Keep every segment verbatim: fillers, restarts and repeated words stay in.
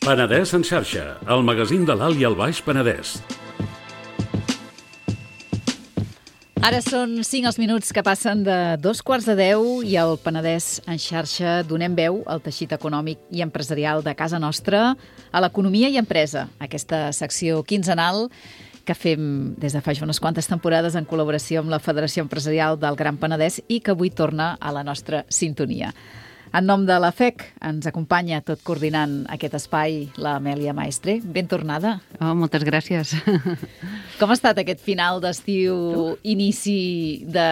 Penedès en xarxa, el magazín de l'Alt i el Baix Penedès. Ara són cinc els minuts que passen de dos quarts de deu i al Penedès en xarxa donem veu al teixit econòmic i empresarial de casa nostra, a l'economia i empresa, aquesta secció quinzenal que fem des de fa unes quantes temporades en col·laboració amb la Federació Empresarial del Gran Penedès i que avui torna a la nostra sintonia. En nom de la F E C ens acompanya, tot coordinant aquest espai, l'Amèlia Maestre. Ben tornada. Oh, moltes gràcies. Com ha estat aquest final d'estiu, inici de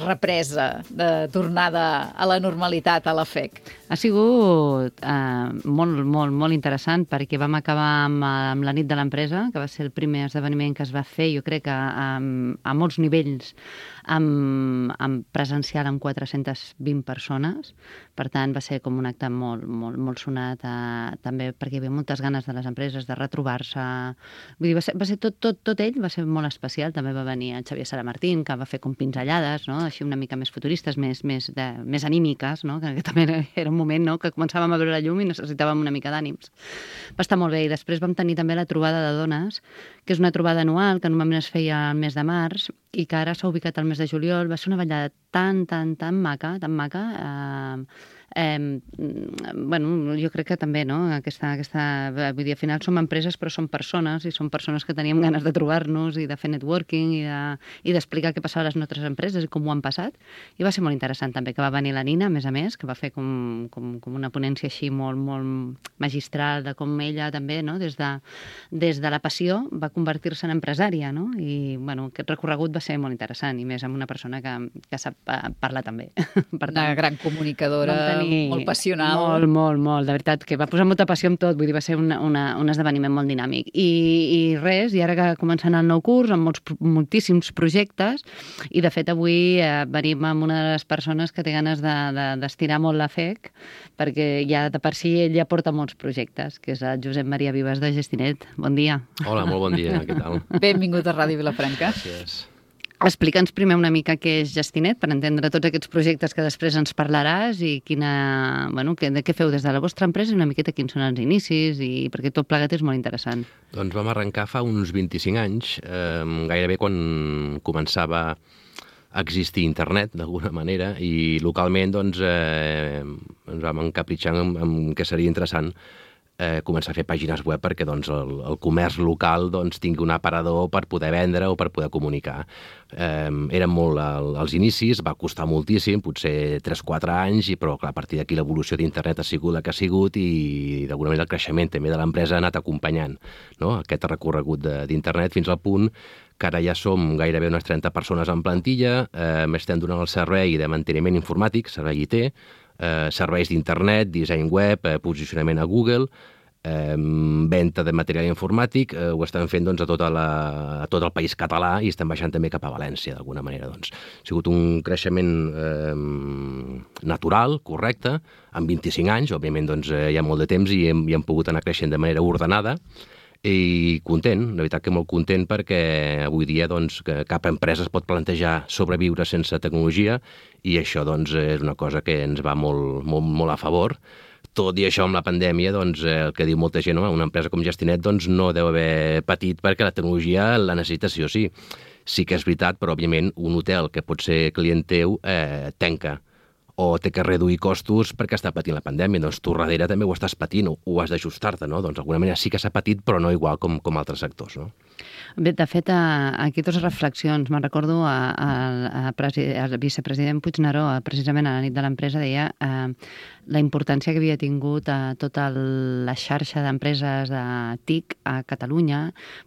represa, de tornada a la normalitat a la F E C? Ha sigut eh, molt, molt, molt interessant perquè vam acabar amb, amb la nit de l'empresa, que va ser el primer esdeveniment que es va fer, jo crec que a, a molts nivells, amb, amb presencial amb quatre-centes vint persones. Per tant, va ser com un acte molt, molt, molt sonat, eh, també perquè hi havia moltes ganes de les empreses de retrobar-se. Vull dir, va ser, va ser tot, tot, tot ell va ser molt especial. També va venir en Xavier Saramartín, que va fer com pinzellades, no? Així una mica més futuristes, més, més, de, més anímiques, no? Que, que també era, era un moment, no? Que començàvem a veure la llum i necessitàvem una mica d'ànims. Va estar molt bé. I després vam tenir també la trobada de dones, que és una trobada anual que normalment es feia al mes de març i que ara s'ha ubicat al mes de juliol. Va ser una ballada tan, tan, tan maca, tan maca. Eh, eh, bueno, jo crec que també, no? Aquesta, aquesta, vull dir, al final som empreses però som persones i som persones que teníem ganes de trobar-nos i de fer networking i, de, i d'explicar què passava a les nostres empreses i com ho han passat. I va ser molt interessant també que va venir la Nina, a més a més, que va fer com, com, com una ponència així molt, molt magistral de com ella també, no? Des de, des de la passió va convertir-se en empresària, no? I, bueno, aquest recorregut va ser molt interessant i més amb una persona que, que sap parlar també. Per tant, una gran comunicadora, tenir molt passional. Molt, molt, molt. De veritat, que va posar molta passió en tot. Vull dir, va ser una, una, un esdeveniment molt dinàmic. I, i res, i ara que començant el nou curs, amb molts, moltíssims projectes, i de fet avui eh, venim amb una de les persones que té ganes de, de, d'estirar molt la F E C, perquè ja de per si ell ja porta molts projectes, que és el Josep Maria Vives de Gestinet. Bon dia. Hola, molt bon dia. Què tal? Benvingut a Ràdio Vilafranca. Gràcies. Explica'ns primer una mica què és Gestinet, per entendre tots aquests projectes que després ens parlaràs i quina, bueno, que, de què feu des de la vostra empresa i una miqueta quins són els inicis, i perquè tot plegat és molt interessant. Doncs vam arrencar fa uns vint-i-cinc anys, eh, gairebé quan començava a existir internet, d'alguna manera, i localment doncs, eh, ens vam encapritxar amb, amb què seria interessant Eh, començar a fer pàgines web perquè doncs, el, el comerç local doncs, tingui un aparador per poder vendre o per poder comunicar. Eh, eren molt el, els inicis, va costar moltíssim, potser tres o quatre anys, i, però clar, a partir d'aquí l'evolució d'internet ha sigut la que ha sigut i d'alguna manera el creixement també de l'empresa ha anat acompanyant, no? Aquest recorregut de, d'internet fins al punt que ara ja som gairebé unes trenta persones en plantilla, eh, estem donant el servei de manteniment informàtic, servei I T, Eh, serveis d'internet, disseny web, eh, posicionament a Google, eh, venda de material informàtic, eh, ho estem fent doncs, a, tota la, a tot el país català i estem baixant també cap a València, d'alguna manera. Doncs. Ha sigut un creixement eh, natural, correcte, amb vint-i-cinc anys, òbviament doncs, eh, hi ha molt de temps i hem, i hem pogut anar creixent de manera ordenada, i content, la veritat que molt content perquè avui dia doncs, que cap empresa es pot plantejar sobreviure sense tecnologia i això doncs, és una cosa que ens va molt, molt, molt a favor. Tot i això, amb la pandèmia, doncs, el que diu molta gent, una empresa com Gestinet doncs, no deu haver patit perquè la tecnologia la necessita sí o sí. Sí que és veritat, però òbviament un hotel que pot ser client teu eh, tanca o té que reduir costos perquè està patint la pandèmia. Doncs tu darrere també ho estàs patint, o ho has d'ajustar-te, no? Doncs d'alguna manera sí que s'ha patit, però no igual com, com altres sectors, no? Bé, de fet, aquí dues reflexions. Me'n recordo a, a, a, a vicepresident Puigneró, precisament a la nit de l'empresa, deia eh, la importància que havia tingut a tota la xarxa d'empreses de T I C a Catalunya,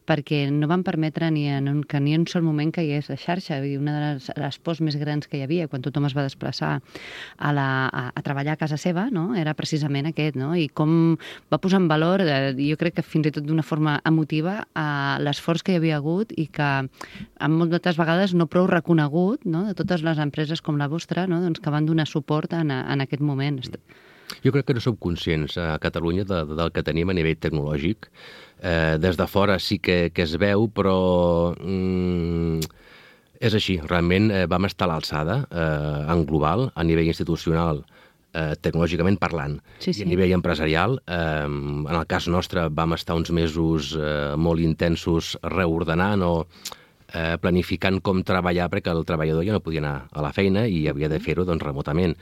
perquè no van permetre ni en un, que ni en un sol moment caigués la xarxa. Una de les, les pors més grans que hi havia quan tothom es va desplaçar a, la, a, a treballar a casa seva, no? Era precisament aquest, no? I com va posar en valor, eh, jo crec que fins i tot d'una forma emotiva, eh, l'esforç que hi havia hagut i que en moltes vegades no prou reconegut, no? De totes les empreses com la vostra, no? Doncs que van donar suport en, en aquest moment. Jo crec que no som conscients a Catalunya de, de, del que tenim a nivell tecnològic. Eh, des de fora sí que, que es veu, però mm, és així. Realment eh, vam estar a l'alçada eh, en global, a nivell institucional. eh, tecnològicament parlant. Sí, sí. I a nivell empresarial, eh, en el cas nostre, vam estar uns mesos eh, molt intensos reordenant o eh, planificant com treballar, perquè el treballador ja no podia anar a la feina i havia de fer-ho doncs, remotament.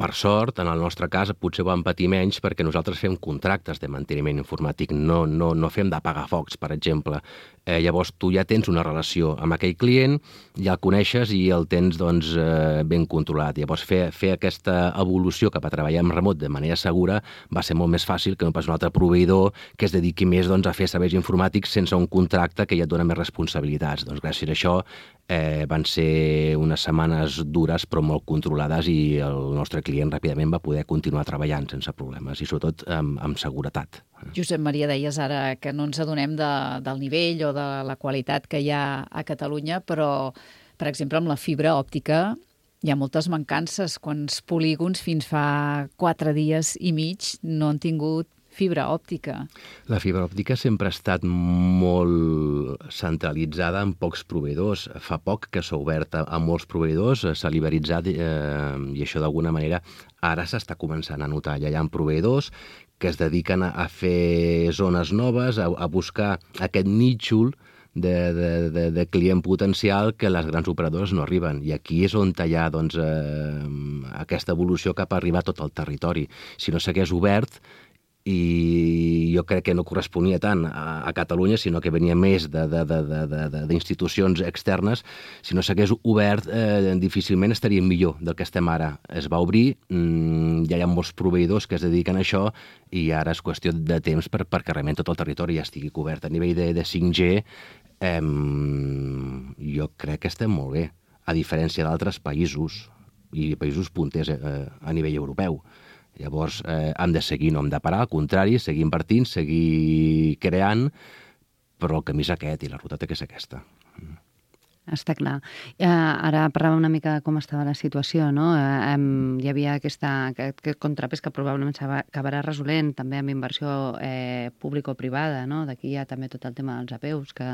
Per sort, en el nostre cas, potser ho vam patir menys perquè nosaltres fem contractes de manteniment informàtic, no, no, no fem d'apagar focs, per exemple. Eh, llavors, tu ja tens una relació amb aquell client, ja el coneixes i el tens doncs, eh, ben controlat. Llavors, fer, fer aquesta evolució cap a treballar en remot de manera segura va ser molt més fàcil que no pas un altre proveïdor que es dediqui més doncs, a fer serveis informàtics sense un contracte que ja et dona més responsabilitats. Doncs gràcies a això eh, van ser unes setmanes dures però molt controlades i el nostre client ràpidament va poder continuar treballant sense problemes i sobretot amb, amb seguretat. Josep Maria, deies ara que no ens adonem de, del nivell o de la qualitat que hi ha a Catalunya, però, per exemple, amb la fibra òptica hi ha moltes mancances. Quants polígons fins fa quatre dies i mig no han tingut fibra òptica? La fibra òptica sempre ha estat molt centralitzada en pocs proveïdors. Fa poc que s'ha obert a, a molts proveïdors, s'ha liberalitzat eh, i això d'alguna manera ara s'està començant a notar. Ja hi ha proveïdors que es dediquen a, a fer zones noves, a, a buscar aquest nítxol de, de, de, de client potencial que les grans operadores no arriben. I aquí és on hi ha doncs, eh, aquesta evolució cap a arribar a tot el territori. Si no s'hagués obert, i jo crec que no corresponia tant a, a Catalunya, sinó que venia més d'institucions externes. Si no s'hagués obert, eh, difícilment estaríem millor del que estem ara. Es va obrir, mmm, ja hi ha molts proveïdors que es dediquen a això i ara és qüestió de temps per, perquè realment tot el territori ja estigui cobert. A nivell de, de cinc G, eh, jo crec que estem molt bé, a diferència d'altres països i països punters eh, a nivell europeu. Llavors, eh, hem de seguir, no hem de parar, al contrari, seguir invertint, seguir creant, però el camí és aquest i la ruta té que ser aquesta. Està clar. Eh, ara parlàvem una mica de com estava la situació, no? Eh, hi havia aquesta, aquest, aquest contrapès que probablement s'acabarà resolent també amb inversió eh, pública o privada, no? D'aquí hi ha també tot el tema dels A P Us, que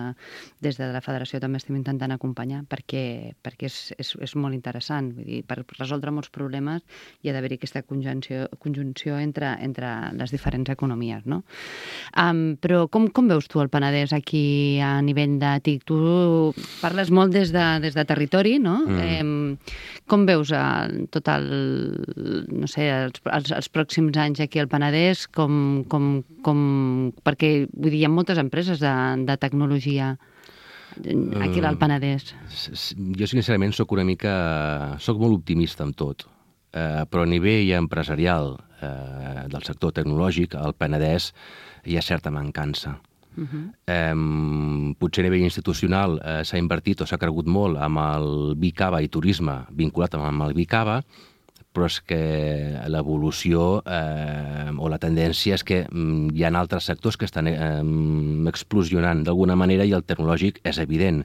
des de la Federació també estem intentant acompanyar perquè, perquè és, és, és molt interessant. Vull dir, per resoldre molts problemes hi ha d'haver-hi aquesta conjunció, conjunció entre, entre les diferents economies, no? Um, però com, com veus tu el Penedès aquí a nivell de T I C? Tu parles molt des de, des de territori, no? Mm. Eh, com veus el, tot el, no sé, els, els, els pròxims anys aquí al Penedès? Com, com, com, perquè, vull dir, hi ha moltes empreses de, de tecnologia aquí al Penedès. Jo, sincerament, soc una mica... soc molt optimista amb tot, eh, però a nivell empresarial eh, del sector tecnològic, al Penedès hi ha certa mancança. Uh-huh. Eh, potser a nivell institucional eh, s'ha invertit o s'ha cregut molt amb el Bicava i turisme vinculat amb el Bicava, però és que l'evolució eh, o la tendència és que mm, hi ha altres sectors que estan eh, explosionant d'alguna manera i el tecnològic és evident.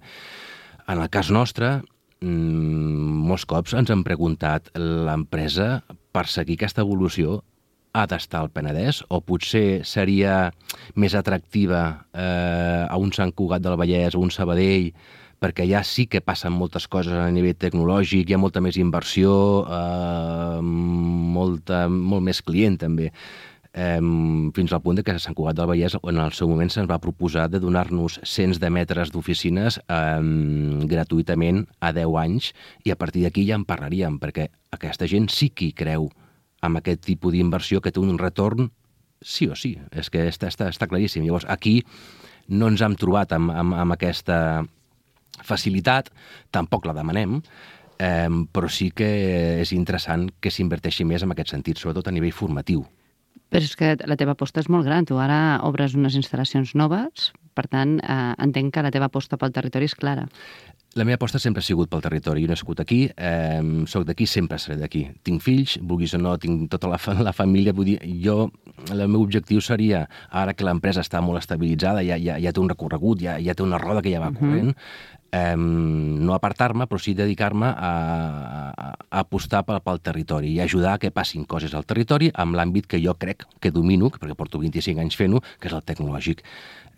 En el cas nostre, mm, molts cops ens han preguntat l'empresa per seguir aquesta evolució ha d'estar al Penedès o potser seria més atractiva eh, a un Sant Cugat del Vallès o un Sabadell, perquè allà sí que passen moltes coses a nivell tecnològic, hi ha molta més inversió, eh, molta, molt més client també. Eh, fins al punt de que a Sant Cugat del Vallès en el seu moment se'ns va proposar de donar-nos cents de metres d'oficines eh, gratuïtament a deu anys i a partir d'aquí ja en parlaríem, perquè aquesta gent sí que hi creu amb aquest tipus d'inversió que té un retorn sí o sí. És que està, està, està claríssim. Llavors, aquí no ens hem trobat amb, amb, amb aquesta facilitat, tampoc la demanem, eh, però sí que és interessant que s'inverteixi més en aquest sentit, sobretot a nivell formatiu. Però és que la teva aposta és molt gran. Tu ara obres unes instal·lacions noves, per tant, eh, entenc que la teva aposta pel territori és clara. La meva aposta sempre ha sigut pel territori. Jo he nascut aquí, eh, soc d'aquí, sempre seré d'aquí. Tinc fills, vulguis o no, tinc tota la, fa la família. Vull dir, jo, el meu objectiu seria, ara que l'empresa està molt estabilitzada, ja, ja, ja té un recorregut, ja, ja té una roda que ja va corrent, uh-huh. eh, no apartar-me, però sí dedicar-me a, a, a apostar pel, pel territori i ajudar a que passin coses al territori amb l'àmbit que jo crec que domino, perquè porto vint-i-cinc anys fent-ho, que és el tecnològic.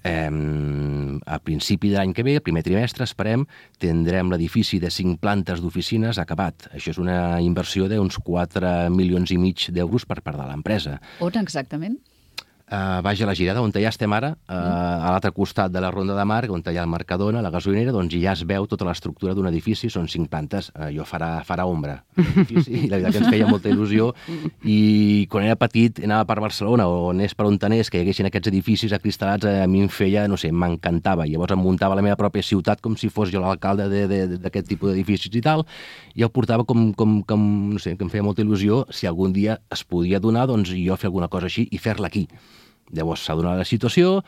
Eh, a principi de l'any que ve, el primer trimestre, esperem, tindrem l'edifici de cinc plantes d'oficines acabat. Això és una inversió d'uns quatre milions i mig d'euros per part de l'empresa. On exactament? Uh, baix a la Girada, on ja estem ara, uh, a l'altre costat de la Ronda de Mar, on hi ha el Mercadona, la gasolinera, doncs ja es veu tota l'estructura d'un edifici, són cinc plantes, uh, jo farà, farà ombra l'edifici, i la veritat que ens feia molta il·lusió, i quan era petit anava per Barcelona, o anés per on anés, que hi haguessin aquests edificis acristal·lats, a mi em feia, no sé, m'encantava, llavors em muntava la meva pròpia ciutat com si fos jo l'alcalde d'aquest tipus d'edificis i tal, i el portava com, com, com, no sé, que em feia molta il·lusió, si algun dia es podia donar, doncs jo fer alguna cosa així i fer-la aquí. Llavors s'ha donat la situació,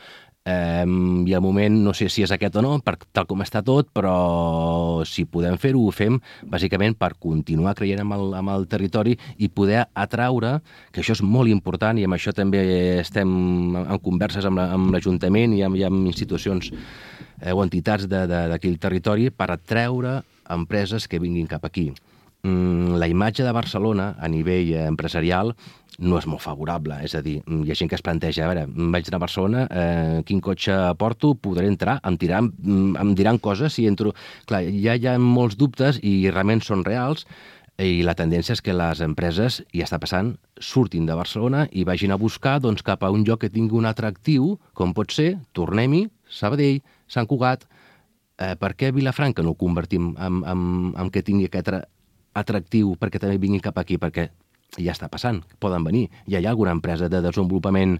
eh, i al moment no sé si és aquest o no, per, tal com està tot, però si podem fer-ho, ho fem bàsicament per continuar creient amb el, amb el territori i poder atraure, que això és molt important, i amb això també estem en converses amb l'Ajuntament i, amb, i amb institucions eh, o entitats d'aquí el territori, per atreure empreses que vinguin cap aquí. Mm, la imatge de Barcelona a nivell empresarial no és molt favorable, és a dir, hi ha gent que es planteja, a veure, vaig anar a Barcelona, eh, quin cotxe porto, podré entrar, em, tiran, em diran coses si entro... Clar, ja hi ha molts dubtes i realment són reals, i la tendència és que les empreses, i està passant, surtin de Barcelona i vagin a buscar doncs, cap a un lloc que tingui un atractiu, com pot ser, tornem-hi, Sabadell, Sant Cugat, eh, per què Vilafranca no ho convertim en, en, en que tingui aquest atractiu perquè també vinguin cap aquí, perquè ja està passant, poden venir. Ja hi ha alguna empresa de desenvolupament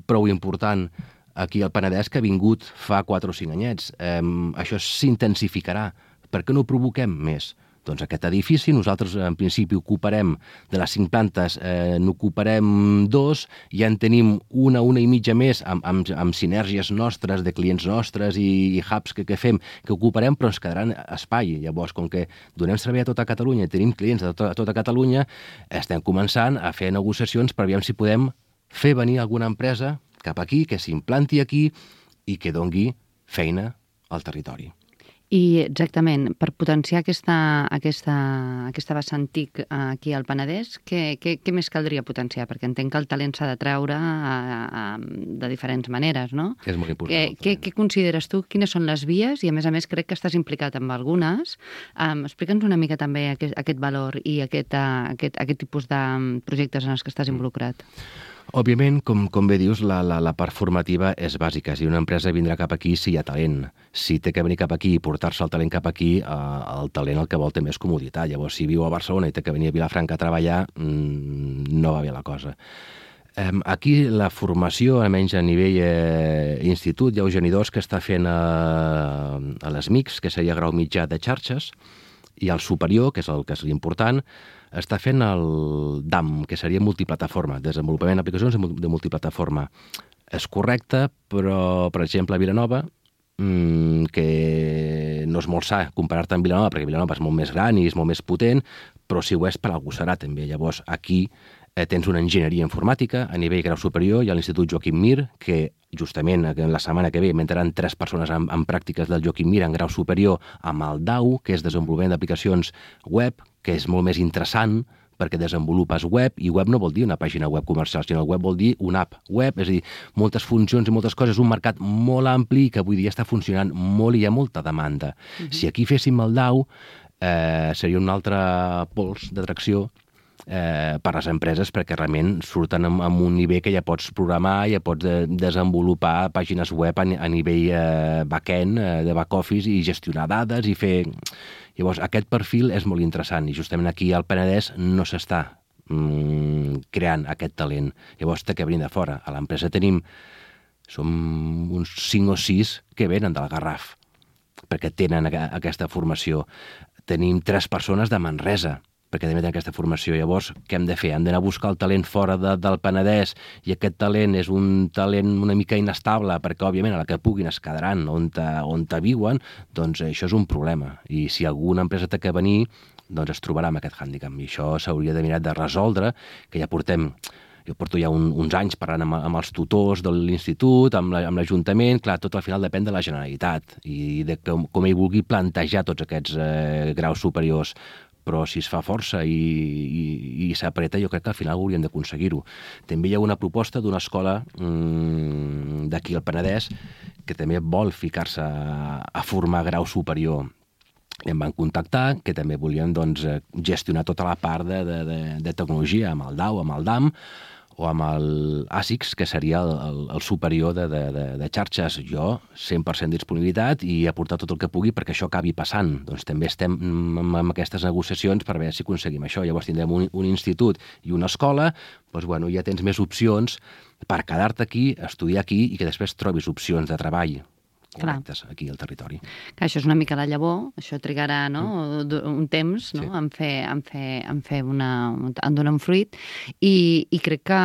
prou important aquí al Penedès que ha vingut fa quatre o cinc anyets. Eh, això s'intensificarà. Per què no ho provoquem més? Doncs aquest edifici, nosaltres en principi ocuparem, de les cinc plantes, eh, n'ocuparem dos, ja en tenim una, una i mitja més, amb, amb, amb sinergies nostres, de clients nostres i, i hubs que, que fem, que ocuparem, però ens quedaran espai. Llavors, com que donem servei a tota Catalunya, tenim clients a tota, a tota Catalunya, estem començant a fer negociacions per veure si podem fer venir alguna empresa cap aquí, que s'implanti aquí i que dongui feina al territori. I exactament, per potenciar aquesta, aquesta, aquesta vessant TIC aquí al Penedès, què, què, què més caldria potenciar? Perquè entenc que el talent s'ha de treure a, a, de diferents maneres, no? És molt important. Què, què, què consideres tu? Quines són les vies? I a més a més crec que estàs implicat amb algunes. Um, Explica'ns una mica també aquest, aquest valor i aquest, uh, aquest, aquest tipus de projectes en els que estàs involucrat. Òbviament, com, com bé dius, la, la, la part formativa és bàsica. Si una empresa vindrà cap aquí, si hi ha talent. Si té que venir cap aquí i portar-se el talent cap aquí, eh, el talent el que vol té més comoditat. Llavors, si viu a Barcelona i té que venir a Vilafranca a treballar, mmm, no va bé la cosa. Eh, aquí la formació, almenys a nivell eh, institut, hi ha Eugeni dos que està fent a, a les M I Cs, que seria grau mitjà de xarxes, i el superior, que és el que és l'important, està fent el D A M, que seria multiplataforma, desenvolupament d'aplicacions de multiplataforma. És correcte, però, per exemple, a Vilanova, mmm, que no és molt sa comparar-te amb Vilanova, perquè Vilanova és molt més gran i és molt més potent, però si ho és, per algú serà també. Llavors, aquí eh, tens una enginyeria informàtica a nivell grau superior, hi ha l'Institut Joaquim Mir, que justament la setmana que ve m'entraran tres persones en, en pràctiques del Joaquim Mir en grau superior amb el D A U, que és desenvolupament d'aplicacions web, que és molt més interessant perquè desenvolupes web, i web no vol dir una pàgina web comercial, sinó web vol dir una app web, és a dir, moltes funcions i moltes coses, un mercat molt ampli que avui dia està funcionant molt i hi ha molta demanda. Uh-huh. Si aquí féssim el D A U, eh, seria un altre pols d'atracció Eh, per les empreses, perquè realment surten amb, amb un nivell que ja pots programar, ja pots de, desenvolupar pàgines web a, a nivell eh, back-end, eh, de back-office, i gestionar dades i fer... Llavors, aquest perfil és molt interessant, i justament aquí al Penedès no s'està mm, creant aquest talent. Llavors, té que venir de fora. A l'empresa tenim... Som uns cinc o sis que venen del Garraf, perquè tenen aquesta formació. Tenim tres persones de Manresa, perquè també tenen aquesta formació. Llavors, què hem de fer? Hem d'anar a buscar el talent fora de, del Penedès, i aquest talent és un talent una mica inestable, perquè, òbviament, a la que puguin es quedaran on te, on te viuen, doncs això és un problema. I si alguna empresa té que venir, doncs es trobarà amb aquest hàndicap. I això s'hauria de mirar de resoldre, que ja portem... jo porto ja un, uns anys parlant amb, amb els tutors de l'institut, amb l'Ajuntament, clar, tot al final depèn de la Generalitat i de com, com ell vulgui plantejar tots aquests eh, graus superiors, però si es fa força i, i, i s'apreta, jo crec que al final hauríem d'aconseguir-ho. També hi ha una proposta d'una escola mmm, d'aquí al Penedès que també vol ficar-se a, a formar grau superior. Em van contactar, que també volien doncs, gestionar tota la part de, de, de, de tecnologia amb el D A U, amb el D A M, o amb el A S I C S, que seria el, el, el superior de, de, de, de xarxes. Jo, cent per cent disponibilitat i aportar tot el que pugui perquè això acabi passant. Doncs també estem amb, amb aquestes negociacions per veure si aconseguim això. Llavors tindrem un, un institut i una escola, doncs, bueno, ja tens més opcions per quedar-te aquí, estudiar aquí i que després trobis opcions de treball correctes aquí al territori. Que això és una mica la llavor, això trigarà no? mm. un temps no? sí. en fer, en fer, en fer una, en donar un fruit i, i crec que,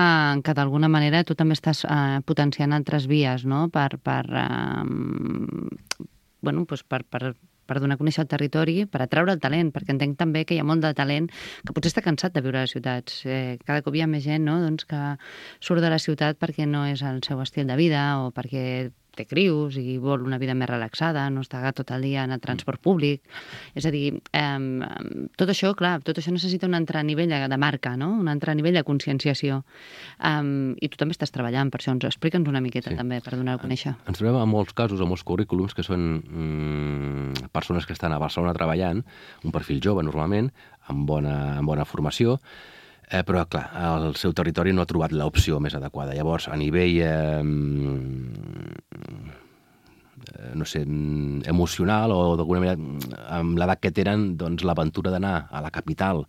que d'alguna manera tu també estàs eh, potenciant altres vies no? per, per, eh, bueno, doncs per, per, per donar a conèixer el territori, per atraure el talent, perquè entenc també que hi ha molt de talent que potser està cansat de viure a les ciutats. Eh, cada cop hi ha més gent no? doncs que surt de la ciutat perquè no és el seu estil de vida o perquè té crius i vol una vida més relaxada, no està tot el dia en el transport públic. És a dir, eh, tot això, clar, tot això necessita un altre nivell de, de marca, no? Un altre nivell de conscienciació. Um, I tu també estàs treballant per això. Ens explica'ns una miqueta sí. també per donar a conèixer. Ens trobem en molts casos, en molts currículums, que són mm, persones que estan a Barcelona treballant, un perfil jove normalment, amb bona, amb bona formació, Eh, però, clar, el seu territori no ha trobat l'opció més adequada. Llavors, a nivell, eh, no sé, emocional o d'alguna manera, amb l'edat que tenen, doncs l'aventura d'anar a la capital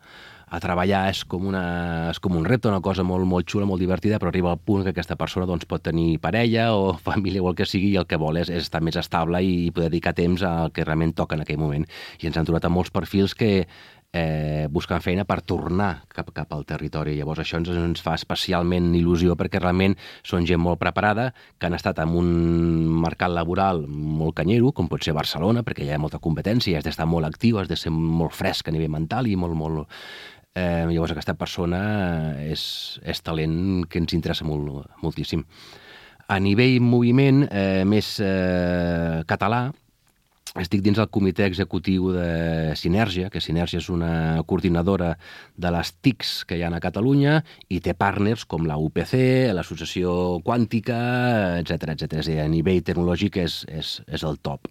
a treballar és com, una, és com un repte, una cosa molt, molt xula, molt divertida, però arriba al punt que aquesta persona doncs, pot tenir parella o família o el que sigui i el que vol és, és estar més estable i poder dedicar temps al que realment toca en aquell moment. I ens han trobat amb molts perfils que Eh, buscant feina per tornar cap, cap al territori. Llavors això ens, ens fa especialment il·lusió perquè realment són gent molt preparada, que han estat en un mercat laboral molt canyero, com pot ser Barcelona, perquè hi ha molta competència, has d'estar molt actiu, has de ser molt fresc a nivell mental i molt, molt... Eh, llavors aquesta persona és, és talent que ens interessa molt, moltíssim. A nivell moviment eh, més eh, català, estic dins el comitè executiu de Sinergia, que Sinergia és una coordinadora de les T I Cs que hi ha a Catalunya i té partners com la U P C, l'Associació Quàntica, etcètera, etcètera. És a dir, a nivell tecnològic és, és, és el top.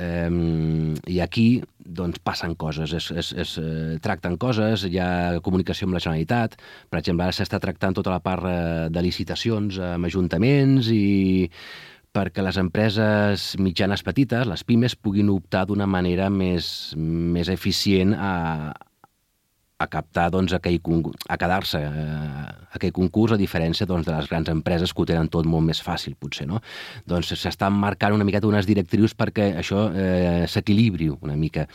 Um, I aquí doncs, passen coses, es, es, es eh, tracten coses, hi ha comunicació amb la Generalitat, per exemple, ara s'està tractant tota la part eh, de licitacions amb ajuntaments i perquè les empreses mitjanes petites, les pimes, puguin optar d'una manera més, més eficient a, a captar, doncs, aquell, a quedar-se a aquell concurs, a diferència doncs, de les grans empreses que ho tenen tot molt més fàcil, potser, no? Doncs s'estan marcant una miqueta unes directrius perquè això eh, s'equilibri una mica.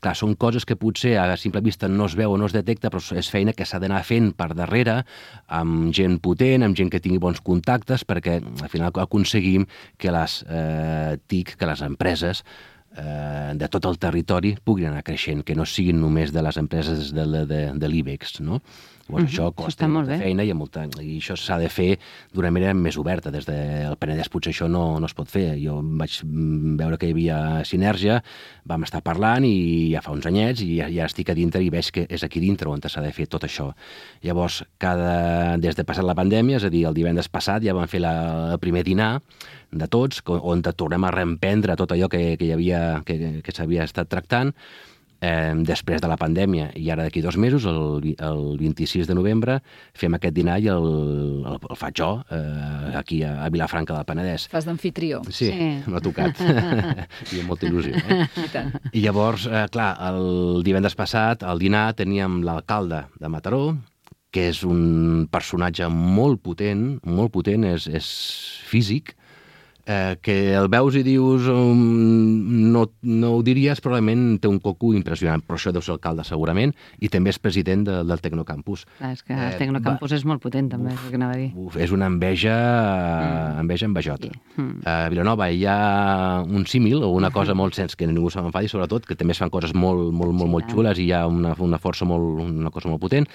Clar, són coses que potser a simple vista no es veu o no es detecta, però és feina que s'ha d'anar fent per darrere, amb gent potent, amb gent que tingui bons contactes, perquè al final aconseguim que les eh, T I C, que les empreses eh, de tot el territori puguin anar creixent, que no siguin només de les empreses de, de, de l'IBEX, no? Llavors, uh-huh. això costa molta feina i, molta, i això s'ha de fer d'una manera més oberta. Des del Penedès potser això no, no es pot fer. Jo vaig veure que hi havia Sinergia, vam estar parlant i ja fa uns anyets i ja, ja estic a dintre i veig que és aquí dintre on s'ha de fer tot això. Llavors, cada, des de passat la pandèmia, és a dir, el divendres passat ja vam fer la, el primer dinar de tots, on tornem a reemprendre tot allò que, que hi havia, que, que s'havia estat tractant, Eh, després de la pandèmia, i ara d'aquí dos mesos, el, el vint-i-sis de novembre, fem aquest dinar i el, el, el faig jo, eh, aquí a, a Vilafranca del Penedès. Fas d'amfitrió. Sí, sí. M'ha tocat. I amb molta il·lusió. Eh? I tant. I llavors, eh, clar, el divendres passat, al dinar, teníem l'alcalde de Mataró, que és un personatge molt potent, molt potent, és, és físic, Eh, que el veus i dius um, no, no ho diries, probablement té un coco impressionant, però això deu ser alcalde segurament, i també és president de, del Tecnocampus. Clar, és que el Tecnocampus eh, és molt potent també, uf, és el que anava a dir. Uf, és una enveja, mm. enveja envejota. Sí. Mm. A Vilanova hi ha un símil o una cosa molt sens que ningú se m'enfadi, sobretot, que també es fan coses molt, molt, molt, sí, molt xules i hi ha una, una força molt, una cosa molt potent,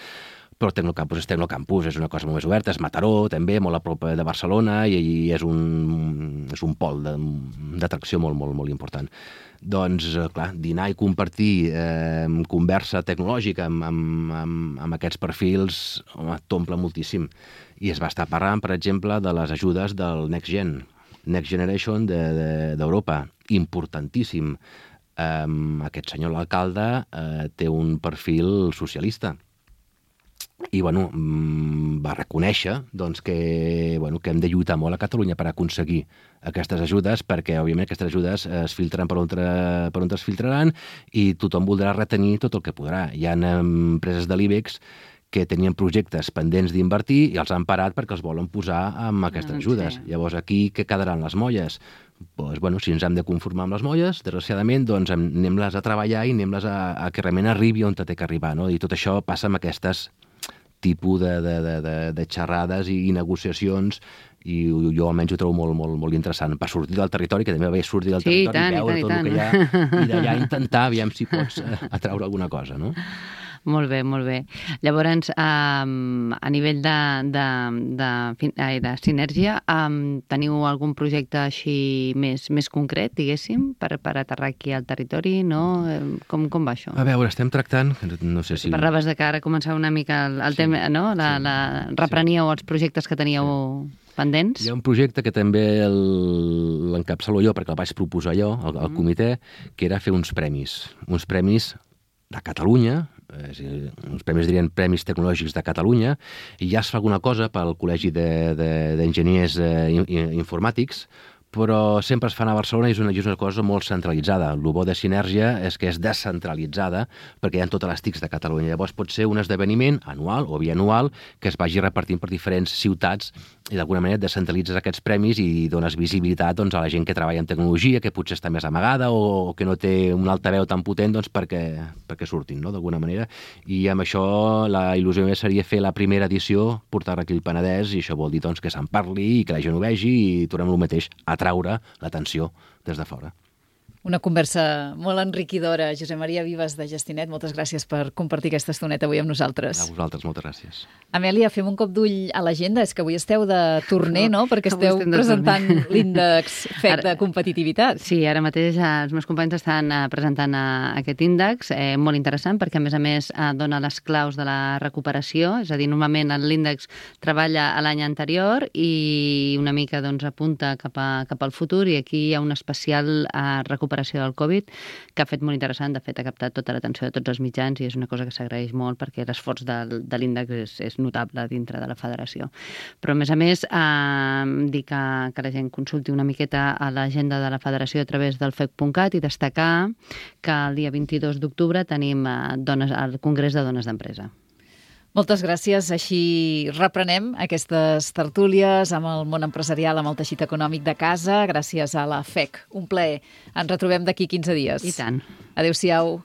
però Tecnocampus és Tecnocampus, és una cosa molt més oberta, és Mataró, també, molt a prop de Barcelona, i, i és un, és un pol d'atracció molt, molt, molt important. Doncs, clar, dinar i compartir eh, conversa tecnològica amb, amb, amb, amb aquests perfils, home, t'omple moltíssim. I es va estar parlant, per exemple, de les ajudes del Next Gen, Next Generation d'Europa, de, de, importantíssim. Eh, aquest senyor, l'alcalde, eh, té un perfil socialista. I, bueno, va reconèixer doncs, que, bueno, que hem de lluitar molt a Catalunya per aconseguir aquestes ajudes, perquè, òbviament, aquestes ajudes es filtren per on, per on es filtraran i tothom voldrà retenir tot el que podrà. Hi ha empreses de l'IBEX que tenien projectes pendents d'invertir i els han parat perquè els volen posar amb aquestes ajudes. Sí. Llavors, aquí què quedaran les molles? Doncs, bueno, si ens hem de conformar amb les molles, desgraciadament, doncs anem-les a treballar i anem-les a, a que realment arribi on té que arribar, no? I tot això passa amb aquestes tipus de, de, de, de, de xerrades i negociacions, i jo almenys ho trobo molt, molt, molt interessant per sortir del territori, que també va bé sortir del sí, territori tant, i veure i tant, tot i el que hi ha i d'allà intentar, aviam si pots atraure alguna cosa, no? Molt bé, molt bé. Llavors, um, a nivell de, de, de, de, de sinergia, um, teniu algun projecte així més, més concret, diguéssim, per, per aterrar aquí al territori, no? Com, com va això? A veure, estem tractant, no sé si... Parlaves de que ara començava una mica el, el sí, tema, no? La, sí, la, repreníeu sí. els projectes que teníeu sí. pendents? Hi ha un projecte que també l'encapçalo jo, perquè el vaig proposar jo, al, al comitè, que era fer uns premis, uns premis de Catalunya, és dir, uns premis dirien Premis Tecnològics de Catalunya, i ja es fa alguna cosa pel Col·legi d'Enginyers de, de, eh, Informàtics, però sempre es fan a Barcelona i és una, és una cosa molt centralitzada. El bo de Sinergia és que és descentralitzada perquè hi ha totes les TICs de Catalunya. Llavors pot ser un esdeveniment anual o bianual que es vagi repartint per diferents ciutats i d'alguna manera descentralitzes aquests premis i dones visibilitat doncs, a la gent que treballa en tecnologia, que potser està més amagada o, o que no té un altaveu tan potent doncs, perquè, perquè surtin, no?, d'alguna manera. I amb això la il·lusió seria fer la primera edició, portar-la aquí al Penedès, i això vol dir doncs, que se'n parli i que la gent ho vegi i tornem el mateix, atraure l'atenció des de fora. Una conversa molt enriquidora. Josep Maria Vives de Gestinet, moltes gràcies per compartir aquesta estoneta avui amb nosaltres. A vosaltres, moltes gràcies. Amèlia, fem un cop d'ull a l'agenda. És que avui esteu de torner, no? Perquè esteu presentant l'índex F E C de competitivitat. Sí, ara mateix els meus companys estan presentant aquest índex, eh, molt interessant, perquè a més a més eh, dona les claus de la recuperació, és a dir, normalment l'índex treballa a l'any anterior i una mica doncs, apunta cap, a, cap al futur, i aquí hi ha una especial eh, recuperació del Covid, que ha fet molt interessant. De fet, ha captat tota l'atenció de tots els mitjans i és una cosa que s'agraeix molt perquè l'esforç de, de l'índex és, és notable dintre de la federació. Però, a més a més, eh, dir que, que la gent consulti una miqueta a l'agenda de la federació a través del F E C punt cat i destacar que el dia vint-i-dos d'octubre tenim eh, dones, el Congrés de Dones d'Empresa. Moltes gràcies. Així reprenem aquestes tertúlies amb el món empresarial, amb el teixit econòmic de casa, gràcies a la F E C. Un plaer. Ens retrobem d'aquí quinze dies. I tant. Adéu-siau.